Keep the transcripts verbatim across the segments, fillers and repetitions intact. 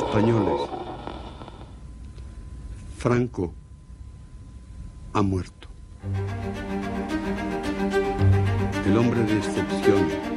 españoles. Franco ha muerto. El hombre de excepción.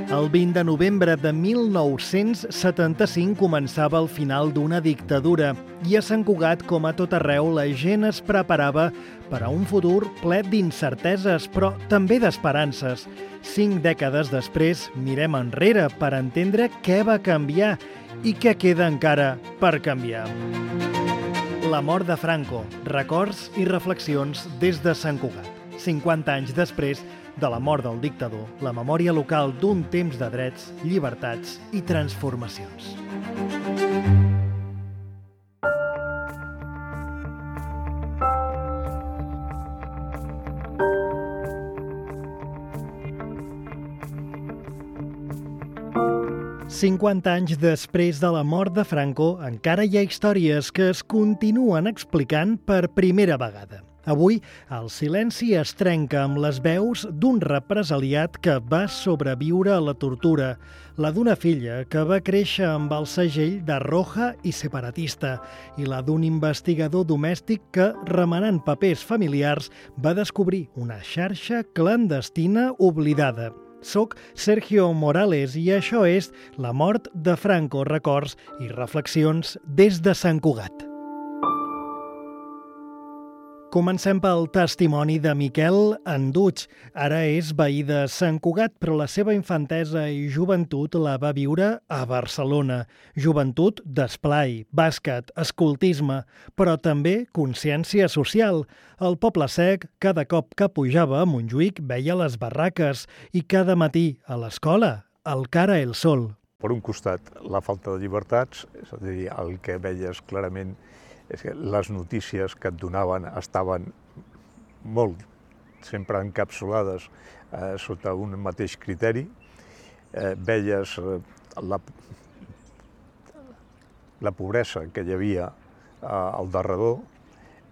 El vint de novembre de mil nou-cents setanta-cinc començava el final d'una dictadura i a Sant Cugat, com a tot arreu, la gent es preparava per a un futur ple d'incerteses, però també d'esperances. Cinc dècades després, mirem enrere per entendre què va canviar i què queda encara per canviar. La mort de Franco, records i reflexions des de Sant Cugat. cinquanta anys després de la mort del dictador, la memòria local d'un temps de drets, llibertats i transformacions. cinquanta anys després de la mort de Franco, encara hi ha històries que es continuen explicant per primera vegada. Avui, el silenci es trenca amb les veus d'un represaliat que va sobreviure a la tortura, la d'una filla que va créixer amb el segell de roja i separatista i la d'un investigador domèstic que, remenant papers familiars, va descobrir una xarxa clandestina oblidada. Soc Sergio Morales i això és La mort de Franco, records i reflexions des de Sant Cugat. Comencem pel testimoni de Miquel Anduig. Ara és veí de Sant Cugat, però la seva infantesa i joventut la va viure a Barcelona. Joventut d'esplai, bàsquet, escoltisme, però també consciència social. El Poble Sec, cada cop que pujava a Montjuïc, veia les barraques i cada matí a l'escola, al Cara el Sol. Per un costat, la falta de llibertats, és a dir, el que veies clarament és que les notícies que et donaven estaven molt, sempre encapsulades eh, sota un mateix criteri. Eh, veies eh, la, la pobresa que hi havia eh, al darrere,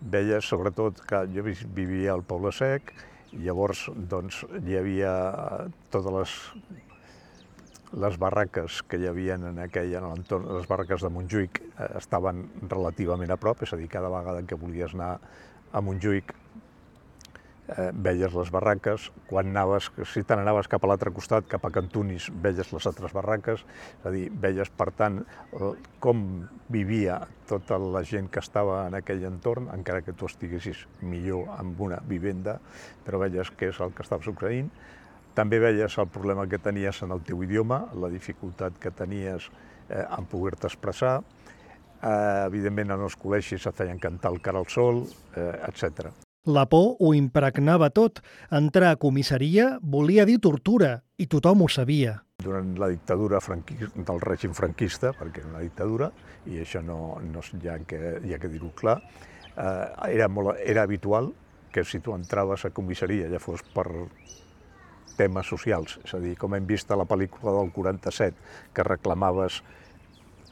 veies sobretot que jo vivia al Poble Sec i llavors doncs, hi havia totes les les barraques que hi havia en aquell en l'entorn, les barraques de Montjuïc eh, estaven relativament a prop, és a dir, cada vegada que volies anar a Montjuïc eh, veies les barraques, quan anaves, si te n'anaves cap a l'altre costat, cap a Cantunis, veies les altres barraques, és a dir, veies, per tant, com vivia tota la gent que estava en aquell entorn, encara que tu estiguessis millor amb una vivenda, però veies què és el que estava succeint. També veies el problema que tenies en el teu idioma, la dificultat que tenies eh, en poder-te expressar. Eh, evidentment, en els col·legis et feien cantar el Cara al Sol, eh, etcètera. La por ho impregnava tot. Entrar a comissaria volia dir tortura, i tothom ho sabia. Durant la dictadura del règim franquista, perquè era una dictadura, i això no, no hi ha que, hi ha que dir-ho clar, eh, era, molt, era habitual que si tu entraves a comissaria, ja fos per temes socials, és a dir, com hem vist a la pel·lícula del quaranta-set, que reclamaves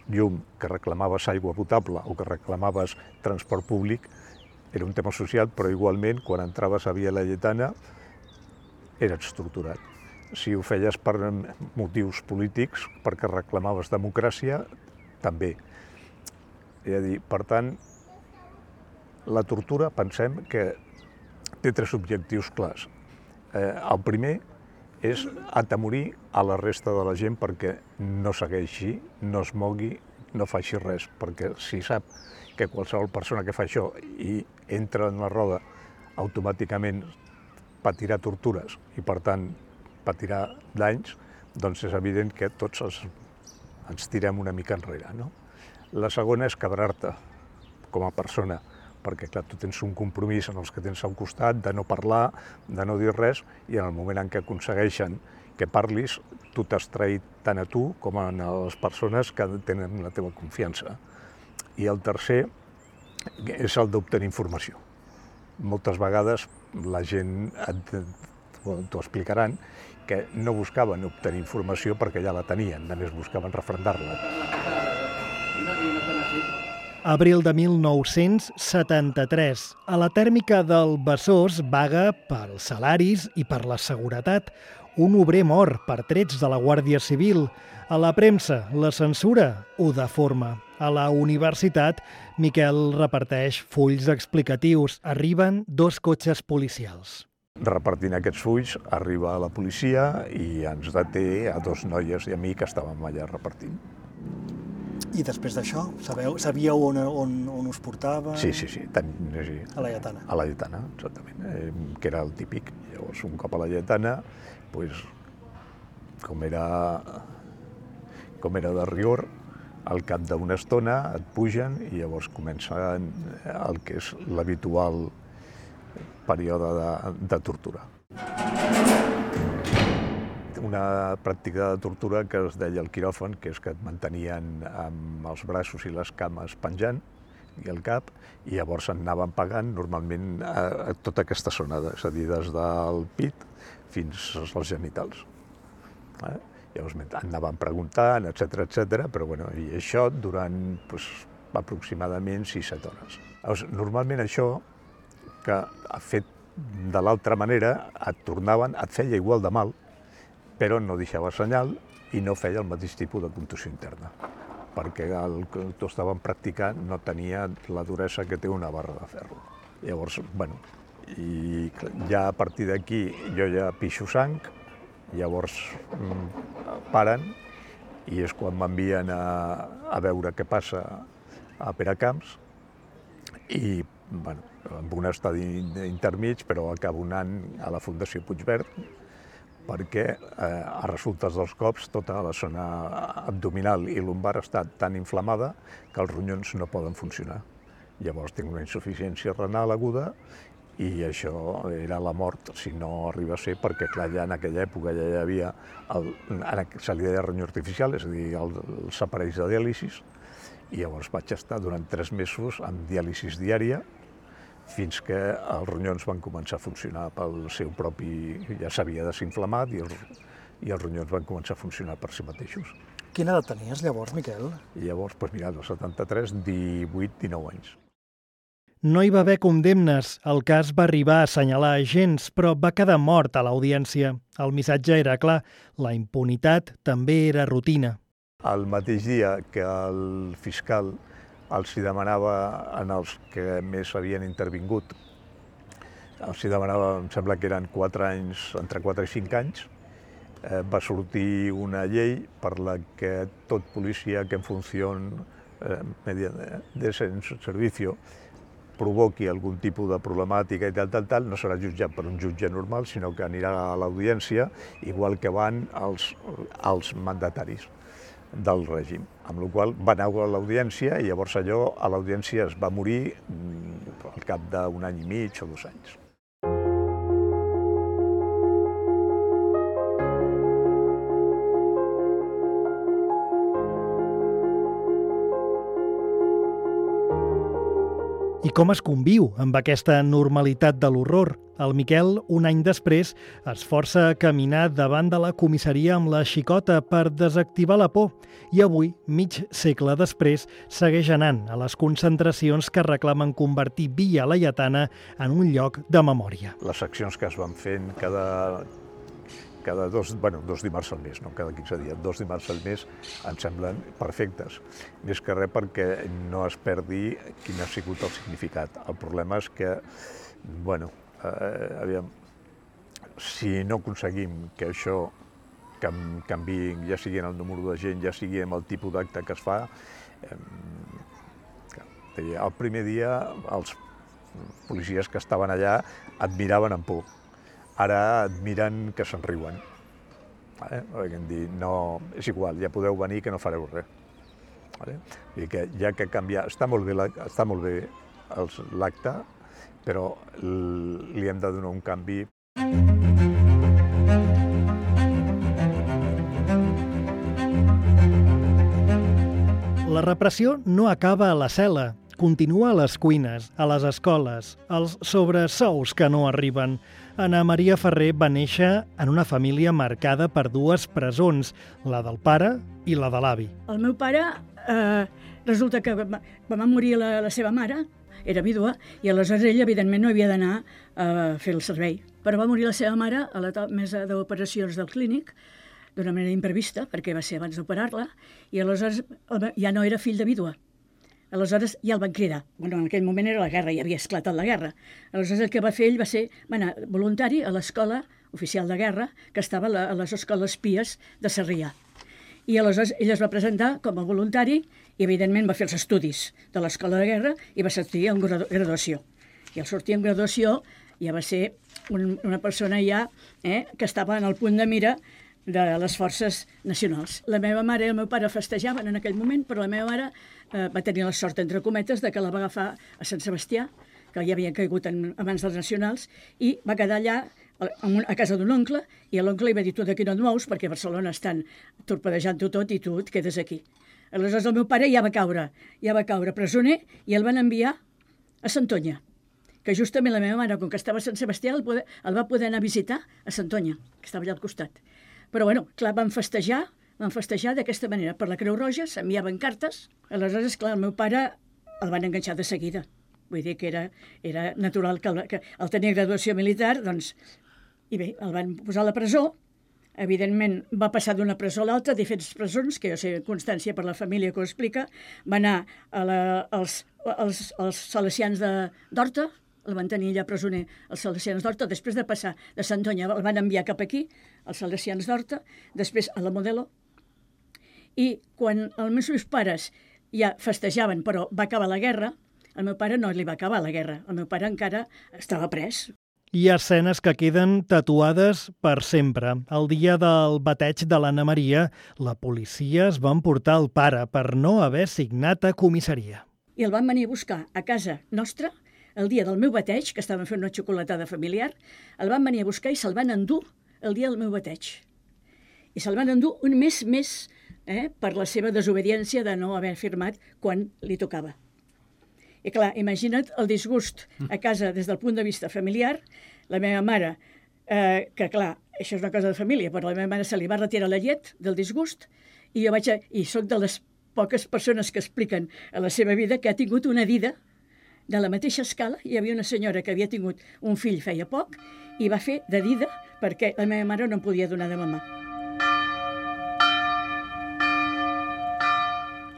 llum, que reclamaves aigua potable o que reclamaves transport públic, era un tema social, però igualment, quan entraves a Via Laietana, eres torturat. Si ho feies per motius polítics, perquè reclamaves democràcia, també. És a dir, per tant, la tortura, pensem que té tres objectius clars. Eh, el primer és atemorir a la resta de la gent perquè no segueixi, no es mogui, no faci res, perquè si sap que qualsevol persona que fa això i entra en la roda automàticament patirà tortures i, per tant, patirà danys, doncs és evident que tots els, ens tirem una mica enrere, no? La segona és quebrar-te com a persona, perquè clar, tu tens un compromís en els que tens al costat de no parlar, de no dir res, i en el moment en què aconsegueixen que parlis, tu t'has traït tant a tu com a les persones que tenen la teva confiança. I el tercer és el d'obtenir informació. Moltes vegades la gent, t'ho explicaran, que no buscaven obtenir informació perquè ja la tenien, només buscaven refrendar-la. Abril de mil nou-cents setanta-tres. A la tèrmica del Besòs vaga pels salaris i per la seguretat. un obrer mor per trets de la Guàrdia Civil. A la premsa, la censura ho deforma. A la universitat, Miquel reparteix fulls explicatius. Arriben dos cotxes policials. Repartint aquests fulls, arriba la policia i ens deté a dos noies i a mi que estàvem allà repartint. I després d'això, sabeu, sabíeu on, on, on us portava? Sí, sí, sí. Ten, sí. A la Lletana. A la Lletana, exactament, eh, que era el típic. Llavors, un cop a la Lletana, pues, com era, com era de rigor, al cap d'una estona et pugen i llavors comença el que és l'habitual període de, de tortura. Una pràctica de tortura que es deia el quiròfan, que és que et mantenien amb els braços i les cames penjant i el cap, i llavors et anaven pagant normalment a, a tota aquesta zona, és a dir, des del pit fins als genitals. Eh? Llavors anaven preguntant, etcètera, etcètera, però bueno, i això durant pues, aproximadament sis set hores. Llavors, normalment això, que fet de l'altra manera, et tornaven, et feia igual de mal, però no deixava senyal i no feia el mateix tipus de contusió interna, perquè el que tu estaven practicant no tenia la duresa que té una barra de ferro. Llavors, bueno, i ja a partir d'aquí jo ja pixo sang, llavors mm, paren i és quan m'envien a, a veure què passa a Peracamps i, bueno, amb un estadi intermig, però acabo anant a la Fundació Puigverd perquè eh, a resultes dels cops tota la zona abdominal i lumbar està tan inflamada que els ronyons no poden funcionar. Llavors tinc una insuficiència renal aguda i això era la mort si no arriba a ser, perquè clar, ja en aquella època ja hi havia, el, se li deia ronyó artificial, és a dir, el, els aparells de diàlisis, i llavors vaig estar durant tres mesos amb diàlisis diària, fins que els ronyons van començar a funcionar pel seu propi... ja s'havia desinflamat i els, i els ronyons van començar a funcionar per si mateixos. Quina edat tenies llavors, Miquel? I llavors, doncs mira, del setanta-tres, divuit dinou anys. No hi va haver condemnes. El cas va arribar a assenyalar agents, però va quedar mort a l'audiència. El missatge era clar, la impunitat també era rutina. El mateix dia que el fiscal els hi demanava en els que més havien intervingut, els hi demanava, em sembla que eren quatre anys, entre quatre i cinc anys, eh, va sortir una llei per la que tot policia que en funció eh, de servicio provoqui algun tipus de problemàtica i tal, tal, tal, no serà jutjat per un jutge normal, sinó que anirà a l'audiència, igual que van els, els mandataris del règim, amb la qual va anar a l'audiència i llavors allò a l'audiència es va morir al cap d'un any i mig o dos anys. I com es conviu amb aquesta normalitat de l'horror? El Miquel, un any després, es força a caminar davant de la comissaria amb la xicota per desactivar la por i avui, mig segle després, segueix anant a les concentracions que reclamen convertir Via Laietana en un lloc de memòria. Les accions que es van fent cada, cada dos, bueno, dos dimarts al mes, no cada quinze dies, dos dimarts al mes em semblen perfectes. Més que res perquè no es perdi quin ha sigut el significat. El problema és que, bueno, eh, aviam, si no aconseguim que això canviï, ja sigui en el número de gent, ja sigui en el tipus d'acte que es fa, eh, el primer dia els policies que estaven allà et miraven amb por. Ara et miren que se'n riuen. Eh? Perquè em dir, no, és igual, ja podeu venir que no fareu res. Vale? I que ja que canviar, està molt bé, està molt bé l'acte, però li hem de donar un canvi. La repressió no acaba a la cel·la. Continua a les cuines, a les escoles, als sobresous que no arriben. Anna Maria Ferrer va néixer en una família marcada per dues presons, la del pare i la de l'avi. El meu pare, eh, resulta que va, va morir la, la seva mare era vídua, i aleshores ell, evidentment, no havia d'anar a fer el servei. Però va morir la seva mare a la mesa d'operacions del clínic, d'una manera imprevista, perquè va ser abans d'operar-la, i aleshores ja no era fill de vídua. Aleshores ja el van cridar. Bueno, en aquell moment era la guerra, ja havia esclatat la guerra. Aleshores el que va fer ell va ser va anar voluntari a l'escola oficial de guerra, que estava a les escoles pies de Sarrià. I aleshores ell es va presentar com a voluntari i, evidentment, va fer els estudis de l'escola de guerra i va sortir en graduació. I al sortir en graduació ja va ser un, una persona ja eh, que estava en el punt de mira de les forces nacionals. La meva mare i el meu pare festejaven en aquell moment, però la meva mare eh, va tenir la sort, entre cometes, de que la va agafar a Sant Sebastià, que ja havien caigut en, abans dels nacionals, i va quedar allà a casa d'un oncle, i l'oncle li va dir: tu d'aquí no et mous, perquè a Barcelona estan torpedejant-ho tot i tu et quedes aquí. Aleshores el meu pare ja va caure, ja va caure presoner i el van enviar a Santonya, que justament la meva mare, com que estava a Sant Sebastià, el, poder, el va poder anar a visitar a Santonya, que estava allà al costat. Però, bueno, clar, van festejar, van festejar d'aquesta manera. Per la Creu Roja s'enviaven cartes. Aleshores, clar, el meu pare el van enganxar de seguida. Vull dir que era, era natural que el, que el tenia graduació militar, doncs... I bé, el van posar a la presó. Evidentment, va passar d'una presó a l'altra, diferents presons, que jo sé constància per la família que ho explica. Va anar a la, als, als, als salesians d'Horta, el van tenir allà presoner els salesians d'Horta, després de passar de Santonya el van enviar cap aquí, els salesians d'Horta, després a la Modelo, i quan els meus pares ja festejaven, però va acabar la guerra, el meu pare no li va acabar la guerra, el meu pare encara estava pres. Hi ha escenes que queden tatuades per sempre. El dia del bateig de l'Anna Maria, la policia es va emportar el pare per no haver signat a comissaria. I el van venir a buscar a casa nostra, el dia del meu bateig, que estàvem fent una xocolatada familiar, el van venir a buscar i se'l van endur el dia del meu bateig. I se'l van endur un mes més eh, per la seva desobediència de no haver firmat quan li tocava. I clar, imagina't el disgust a casa des del punt de vista familiar. La meva mare, eh, que clar, això és una cosa de família, però a la meva mare se li va retirar la llet del disgust i jo vaig a, i soc de les poques persones que expliquen a la seva vida que ha tingut una vida de la mateixa escala. Hi havia una senyora que havia tingut un fill feia poc i va fer de dida perquè la meva mare no em podia donar de mamar.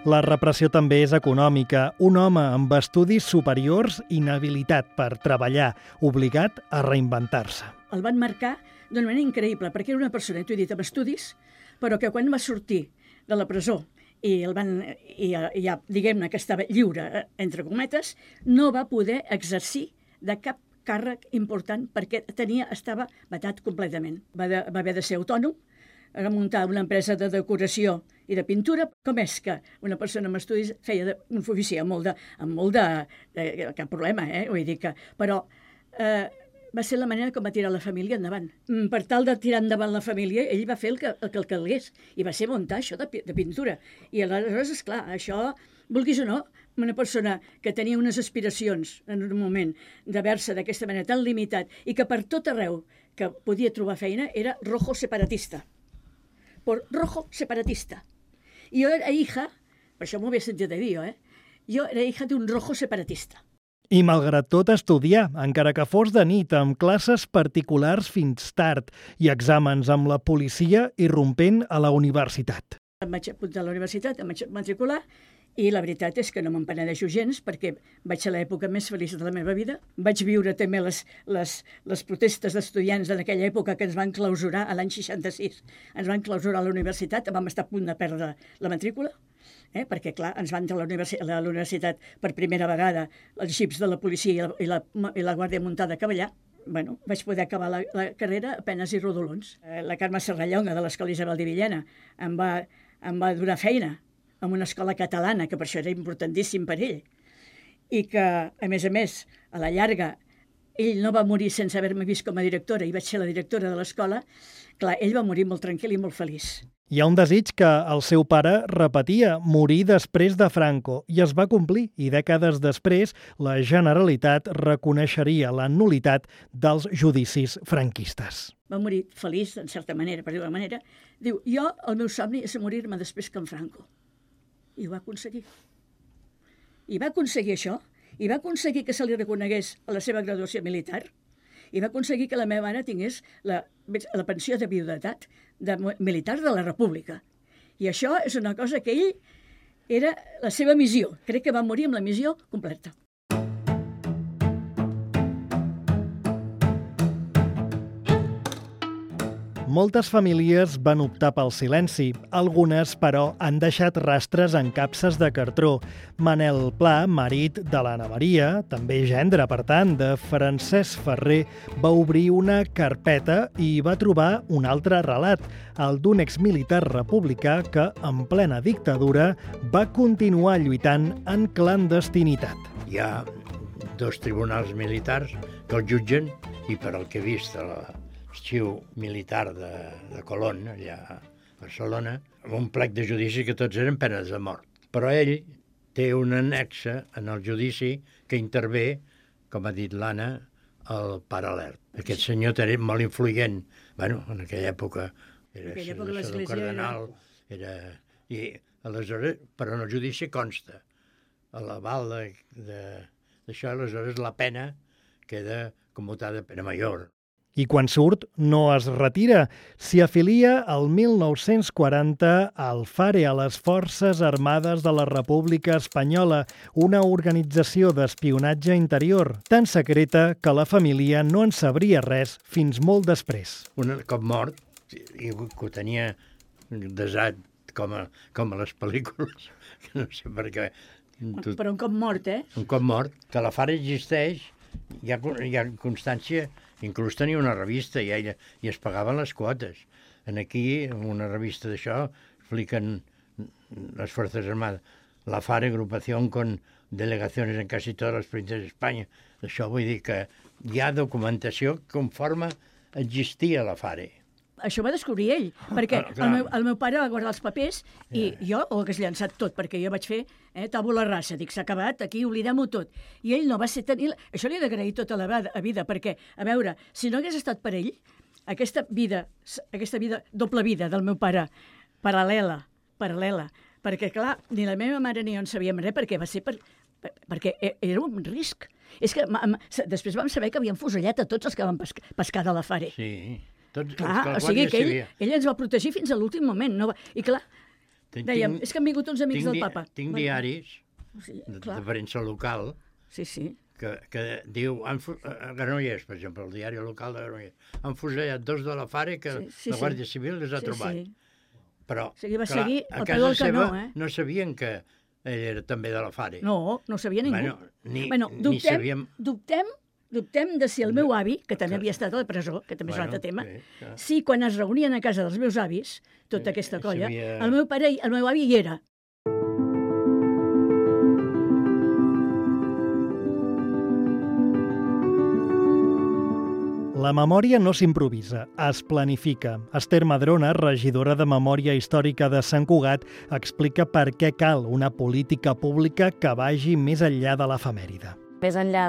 La repressió també és econòmica. Un home amb estudis superiors, inhabilitat per treballar, obligat a reinventar-se. El van marcar d'una manera increïble, perquè era una persona, t'ho he dit, amb estudis, però que quan va sortir de la presó i el van, i ja, diguem-ne que estava lliure, entre cometes, no va poder exercir de cap càrrec important perquè tenia, estava vetat completament. Va, de, va haver de ser autònom, a muntar una empresa de decoració i de pintura. Com és que una persona amb estudis feia de, un ofici amb molt de... amb molt de, de cap problema, eh? Vull dir que... Però eh, va ser la manera com va tirar la família endavant. Per tal de tirar endavant la família, ell va fer el que el, que el calgués, i va ser muntar això de, de pintura. I aleshores, esclar, això, vulguis o no, una persona que tenia unes aspiracions en un moment d'haver-se d'aquesta manera tan limitat i que per tot arreu que podia trobar feina era rojo separatista. Por rojo separatista. Y yo era hija, per això m'ho havia sentit de dir, eh? Jo era hija d'un rojo separatista. I malgrat tot estudiar, encara que fos de nit, amb classes particulars fins tard i exàmens amb la policia irrompent a la universitat. Em vaig apuntar a la universitat, em vaig matricular, i la veritat és que no me'n penedeixo gens perquè vaig ser l'època més feliç de la meva vida. Vaig viure també les, les, les protestes d'estudiants en aquella època que ens van clausurar a l'any seixanta-sis. Ens van clausurar a la universitat, vam estar a punt de perdre la matrícula, eh? perquè clar, ens van entrar a la, universi a la universitat per primera vegada els xips de la policia i la, i la, i la Guàrdia Muntada a cavallar. Bueno, vaig poder acabar la, la carrera a penes i rodolons. Eh, la Carme Serrallonga de l'Escola Isabel de Villena em va, em va donar feina en una escola catalana, que per això era importantíssim per ell, i que, a més a més, a la llarga, ell no va morir sense haver-me vist com a directora, i vaig ser la directora de l'escola. Clar, ell va morir molt tranquil i molt feliç. Hi ha un desig que el seu pare repetia, morir després de Franco, i es va complir, i dècades després la Generalitat reconeixeria la nul·litat dels judicis franquistes. Va morir feliç, en certa manera, per dir-ho d'una manera. Diu, jo, el meu somni és morir-me després que en Franco. I ho va aconseguir. I va aconseguir això, i va aconseguir que se li reconegués la seva graduació militar, i va aconseguir que la meva mare tingués la, la pensió de viudetat de, militar de la República. I això és una cosa que ell era la seva missió. Crec que va morir amb la missió completa. Moltes famílies van optar pel silenci. Algunes, però, han deixat rastres en capses de cartró. Manel Pla, marit de l'Anna Maria, també gendre, per tant, de Francesc Ferrer, va obrir una carpeta i va trobar un altre relat, el d'un exmilitar republicà que, en plena dictadura, va continuar lluitant en clandestinitat. Hi ha dos tribunals militars que el jutgen i, per al que he vist a la arxiu militar de, de Colón, allà a Barcelona, amb un plec de judici que tots eren penes de mort. Però ell té un annexe en el judici que intervé, com ha dit l'Anna, el paral·lel. Aquest senyor era molt influent. Bueno, en aquella època era senador cardenal, era... I aleshores, però en el judici consta a l'aval d'això, aleshores la pena queda commutada a pena major. I quan surt, no es retira. S'hi afilia el mil nou-cents quaranta al FARE, a les Forces Armades de la República Espanyola, una organització d'espionatge interior, tan secreta que la família no en sabria res fins molt després. Un cop mort, i que ho tenia desat com a, com a les pel·lícules, que no sé per què. Tot... Però un cop mort, eh? Un cop mort, que la FARE existeix, hi ha, hi ha constància. Inclús tenia una revista i, ella, i es pagaven les quotes. En aquí, en una revista d'això, expliquen les Fuerzas Armadas, la FARE, agrupación con delegaciones en casi todas las provincias de España. Això vull dir que hi ha documentació conforme existia la FARE. Això va descobrir ell, perquè ah, el, meu, el meu pare va guardar els papers i yeah. jo ho hagués llançat tot, perquè jo vaig fer eh, tabula rasa, dic, s'ha acabat, aquí oblidem-ho tot. I ell no va ser tenir... Això li he d'agrair tota la vida, perquè, a veure, si no hagués estat per ell, aquesta vida, aquesta vida, doble vida del meu pare, paral·lela, paral·lela, perquè, clar, ni la meva mare ni jo en sabíem res, perquè va ser per, per, perquè era un risc. És que després vam saber que havien fusellat a tots els que van pescar, pescar de la FARE. Sí. Tots, clar, o sigui que ell, ell ens va protegir fins a l'últim moment. No va... I clar, tinc, dèiem, és que han vingut uns amics del papa. Tinc bueno, diaris o sigui, de, de premsa local sí, sí. Que, que diu, han, a Granollers, per exemple, el diari local de Granollers, han fusellat dos de la FARE que sí, sí, la Guàrdia Civil les ha sí, trobat. Sí. Però, o sigui, va clar, seguir a casa seva eh? no sabien que ell era també de la FARE. No, no sabia ningú. Bueno, ni, bueno, dubtem, ni sabíem... Dubtem Dubtem de si el meu avi, que també havia estat a la presó, que també és bueno, un altre tema, sí, si quan es reunien a casa dels meus avis, tota aquesta colla, sabia... el meu pare, el meu avi hi era. La memòria no s'improvisa, es planifica. Esther Madrona, regidora de Memòria Històrica de Sant Cugat, explica per què cal una política pública que vagi més enllà de l'efemèride. Més enllà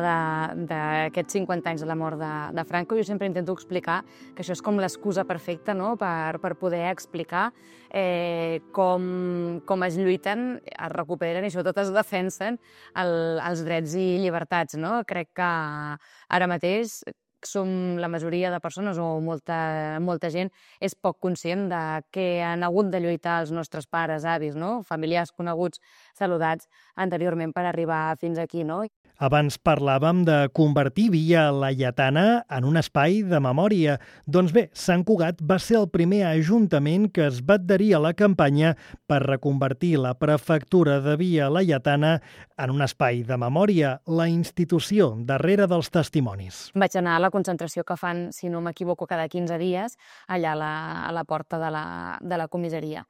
d'aquests cinquanta anys de la mort de, de Franco, jo sempre intento explicar que això és com l'excusa perfecta, no?, per, per poder explicar eh, com, com es lluiten, es recuperen i sobretot es defensen el, els drets i llibertats. No? Crec que ara mateix som la majoria de persones o molta, molta gent és poc conscient de què han hagut de lluitar els nostres pares, avis, no? Familiars coneguts, saludats anteriorment per arribar fins aquí. No? Abans parlàvem de convertir Via Laietana en un espai de memòria. Doncs bé, Sant Cugat va ser el primer ajuntament que es va adherir a la campanya per reconvertir la prefectura de Via Laietana en un espai de memòria, la institució darrere dels testimonis. Vaig anar a la concentració que fan, si no m'equivoco, cada quinze dies, allà a la, a la porta de la, de la comissaria.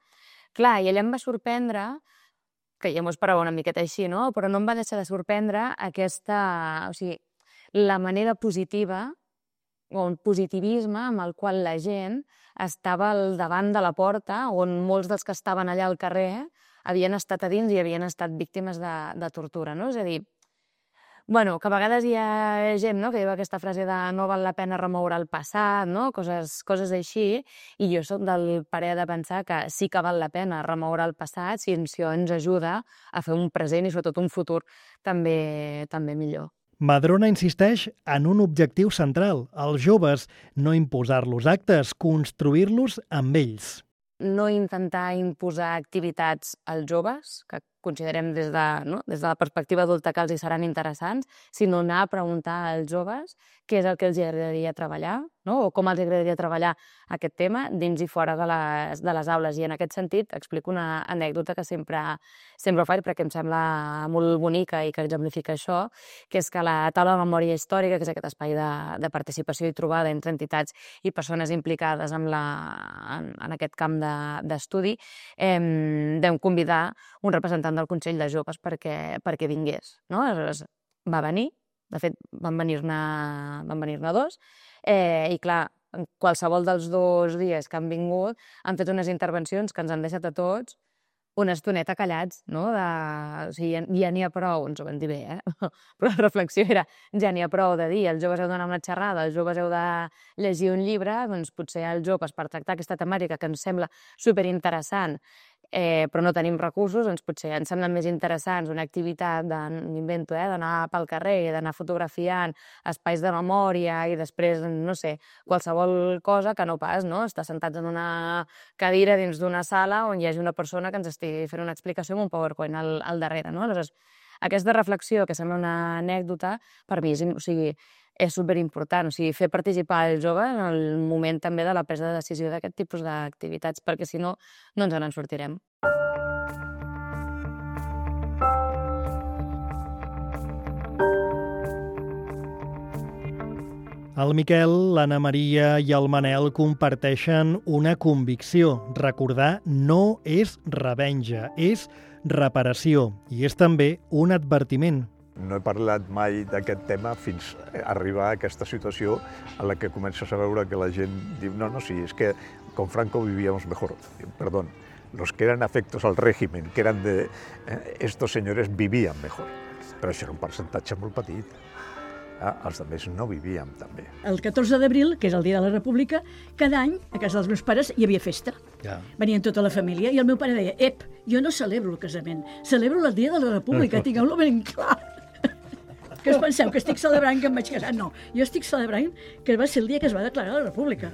Clar, i allà em va sorprendre, que ja m'ho esperava una miqueta així, no? Però no em va deixar de sorprendre aquesta... O sigui, la manera positiva o un positivisme amb el qual la gent estava al davant de la porta, on molts dels que estaven allà al carrer havien estat a dins i havien estat víctimes de, de tortura, no? És a dir, Bueno, que a vegades hi ha gent, no?, que diu aquesta frase de no val la pena remoure el passat, no?, coses, coses així, i jo soc del parer de pensar que sí que val la pena remoure el passat si això ens ajuda a fer un present i sobretot un futur també, també millor. Madrona insisteix en un objectiu central, els joves, no imposar-los actes, construir-los amb ells. No intentar imposar activitats als joves, que considerem des de, no? des de la perspectiva adulta que els hi seran interessants, sinó anar a preguntar als joves què és el que els agradaria treballar, no? O com els agradaria treballar aquest tema dins i fora de les, de les aules. I en aquest sentit explico una anècdota que sempre, sempre faig perquè em sembla molt bonica i que exemplifica això, que és que la taula de memòria històrica, que és aquest espai de, de participació i trobada entre entitats i persones implicades en, la, en, en aquest camp d'estudi, de, eh, vam convidar un representant del Consell de Joves perquè, perquè vingués. No? Aleshores, va venir, de fet, van venir-ne van venir-ne dos, eh, i clar, qualsevol dels dos dies que han vingut han fet unes intervencions que ens han deixat a tots una estoneta callats, no? De, o sigui, ja, ja n'hi ha prou, ens ho van dir bé, eh? Però la reflexió era, ja n'hi ha prou de dir, els joves heu d'anar a una xerrada, els joves heu de llegir un llibre, doncs potser els joves, per tractar aquesta temàtica que ens sembla superinteressant, eh, però no tenim recursos, doncs potser ens semblen més interessants una activitat, m'invento, eh, d'anar pel carrer, d'anar fotografiant espais de memòria i després, no sé, qualsevol cosa que no pas, no? Estar sentats en una cadira dins d'una sala on hi hagi una persona que ens estigui fent una explicació amb un PowerPoint al, al darrere, no? Aleshores, aquesta reflexió, que sembla una anècdota, per mi és, o sigui, és superimportant, o sigui, fer participar el jove en el moment també de la presa de decisió d'aquest tipus d'activitats, perquè si no, no ens en sortirem. El Miquel, l'Anna Maria i el Manel comparteixen una convicció. Recordar no és revenja, és reparació i és també un advertiment. No he parlat mai d'aquest tema fins a arribar a aquesta situació en la que comences a veure que la gent diu no, no, sí, és que con Franco vivíamos mejor. Perdón, los que eran afectos al régimen, que eran de eh, estos señores vivían mejor. Però això era un percentatge molt petit. Ah, els altres no vivíem també. El catorze d'abril, que és el dia de la República, cada any a casa dels meus pares hi havia festa. Ja. Venien tota la família i el meu pare deia ep, jo no celebro el casament, celebro el dia de la República, tingueu-lo ben clar. Que us penseu que estic celebrant que em vaig casar? No, jo estic celebrant que va ser el dia que es va declarar la República.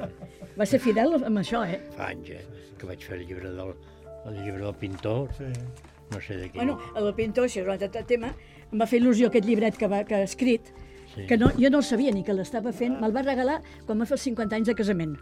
Va ser fidel amb això, eh? Fa anys, eh? Que vaig fer el llibre del, el llibre del pintor, sí. No sé de qui. Bueno, el del pintor, això és un altre tema, em va fer il·lusió aquest llibret que, va, que ha escrit, sí. Que no, jo no el sabia ni que l'estava fent, me'l va regalar quan va fer els cinquanta anys de casament.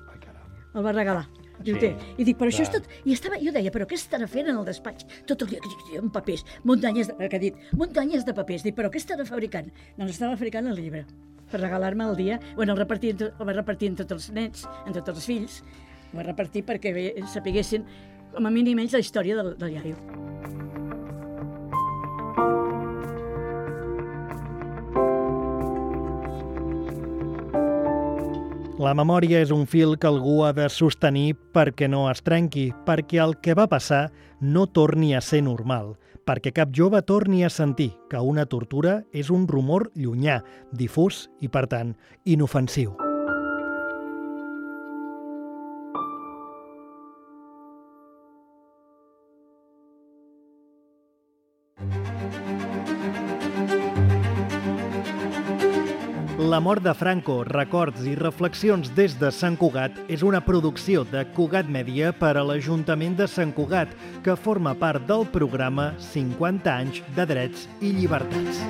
El va regalar. Diu, sí, I dic, però clar. Això és tot... I estava, jo deia, però què estarà fent en el despatx? Tot el dia amb papers, muntanyes de, que ha dit, muntanyes de papers. Dic, però què estarà fabricant? Doncs estava fabricant el llibre, per regalar-me el dia. Bueno, el, repartir, el va repartir en tots els nets, en tots els fills. El va repartir perquè sapiguessin, com a mínim ells, la història del, del iaio. La memòria és un fil que algú ha de sostenir perquè no es trenqui, perquè el que va passar no torni a ser normal, perquè cap jove torni a sentir que una tortura és un rumor llunyà, difús i, per tant, inofensiu. La mort de Franco, records i reflexions des de Sant Cugat és una producció de Cugat Mèdia per a l'Ajuntament de Sant Cugat, que forma part del programa cinquanta anys de drets i llibertats.